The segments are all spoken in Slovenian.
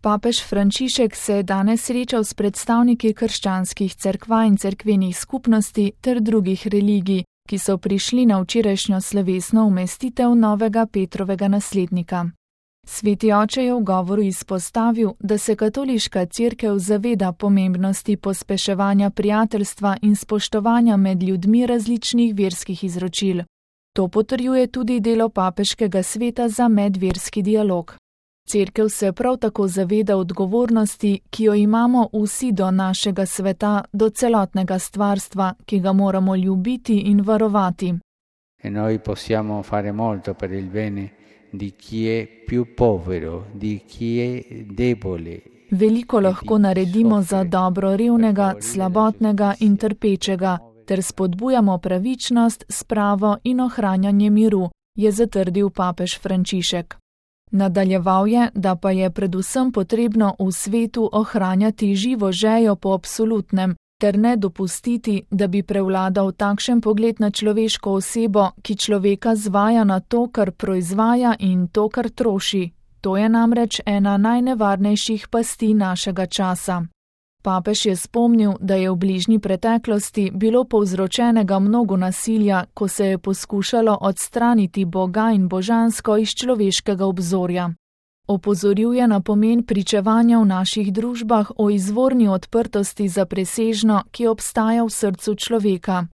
Papež Frančišek se je danes srečal s predstavniki krščanskih cerkva in cerkvenih skupnosti ter drugih religij, ki so prišli na včerajšnjo slovesno umestitev novega Petrovega naslednika. Sveti oče je v govoru izpostavil, da se katoliška cerkev zaveda pomembnosti pospeševanja prijateljstva in spoštovanja med ljudmi različnih verskih izročil. To potrjuje tudi delo papeškega sveta za medverski dialog. Cerkev se prav tako zaveda odgovornosti, ki jo imamo vsi do našega sveta, do celotnega stvarstva, ki ga moramo ljubiti in varovati. E noi possiamo fare molto per il bene di chi è più povero, di chi è debole. Veliko lahko naredimo za dobro revnega, slabotnega in trpečega, ter spodbujamo pravičnost, spravo in ohranjanje miru, je zatrdil papež Frančišek. Nadaljeval je, da pa je predvsem potrebno v svetu ohranjati živo željo po absolutnem, ter ne dopustiti, da bi prevladal takšen pogled na človeško osebo, ki človeka zvaja na to, kar proizvaja in to, kar troši. To je namreč ena najnevarnejših pasti našega časa. Papež je spomnil, da je v bližnji preteklosti bilo povzročenega mnogo nasilja, ko se je poskušalo odstraniti Boga in božansko iz človeškega obzorja. Opozoril je na pomen pričevanja v naših družbah o izvorni odprtosti za presežno, ki obstaja v srcu človeka.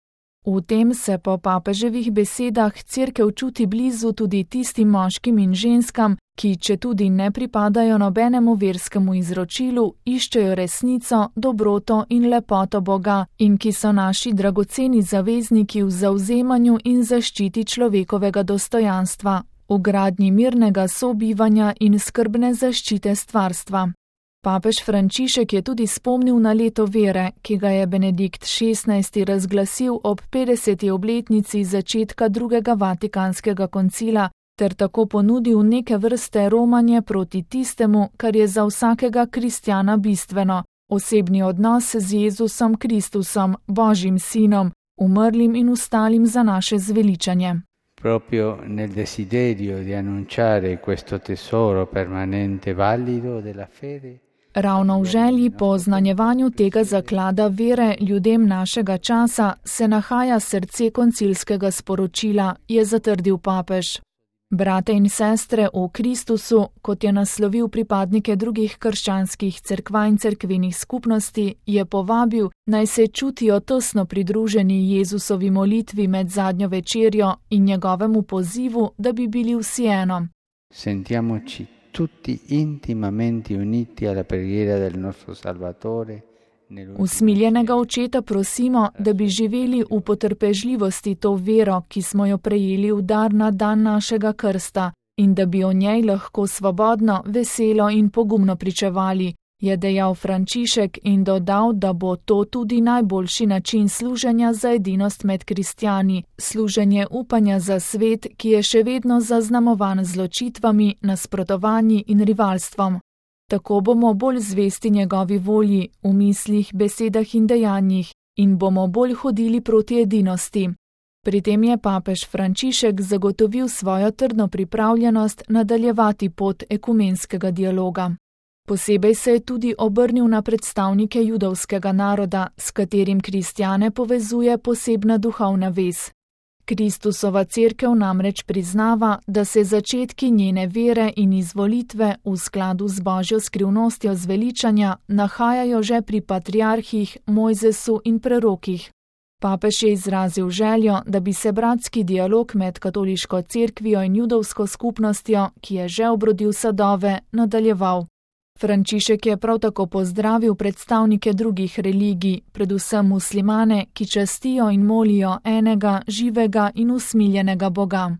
V tem se po papeževih besedah cerkev čuti blizu tudi tistim moškim in ženskam, ki, četudi ne pripadajo nobenemu verskemu izročilu, iščejo resnico, dobroto in lepoto Boga in ki so naši dragoceni zavezniki v zavzemanju in zaščiti človekovega dostojanstva, v gradnji mirnega sobivanja in skrbne zaščite stvarstva. Papež Frančišek je tudi spomnil na leto vere, ki ga je Benedikt XVI. Razglasil ob 50. obletnici začetka drugega Vatikanskega koncila, ter tako ponudil neke vrste romanje proti tistemu, kar je za vsakega kristjana bistveno, osebni odnos z Jezusom Kristusom, Božjim sinom, umrlim in vstalim za naše zveličanje. Proprio nel desiderio di annunciare questo tesoro permanente valido della fede. Ravno v želji po oznanjevanju tega zaklada vere ljudem našega časa se nahaja srce koncilskega sporočila, je zatrdil papež. Brate in sestre v Kristusu, kot je naslovil pripadnike drugih krščanskih cerkva in cerkvenih skupnosti, je povabil, naj se čutijo tesno pridruženi Jezusovi molitvi med zadnjo večerjo in njegovemu pozivu, da bi bili vsi eno. Sentiamoci tutti intimamente uniti alla preghiera del nostro Salvatore. Usmiljenega očeta prosimo, da bi živeli v potrpežljivosti to vero, ki smo jo prejeli v dar na dan našega krsta, in da bi o njej lahko svobodno, veselo in pogumno pričevali, je dejal Frančišek in dodal, da bo to tudi najboljši način služenja za edinost med kristjani, služenje upanja za svet, ki je še vedno zaznamovan z ločitvami, nasprotovanji in rivalstvom. Tako bomo bolj zvesti njegovi volji v mislih, besedah in dejanjih in bomo bolj hodili proti edinosti. Pri tem je papež Frančišek zagotovil svojo trdno pripravljenost nadaljevati pot ekumenskega dialoga. Posebej se je tudi obrnil na predstavnike judovskega naroda, s katerim kristjane povezuje posebna duhovna vez. Kristusova cerkev namreč priznava, da se začetki njene vere in izvolitve v skladu z Božjo skrivnostjo zveličanja nahajajo že pri patriarhih, Mojzesu in prerokih. Papež je izrazil željo, da bi se bratski dialog med katoliško cerkvijo in judovsko skupnostjo, ki je že obrodil sadove, nadaljeval. Frančišek je prav tako pozdravil predstavnike drugih religij, predvsem muslimane, ki častijo in molijo enega, živega in usmiljenega Boga.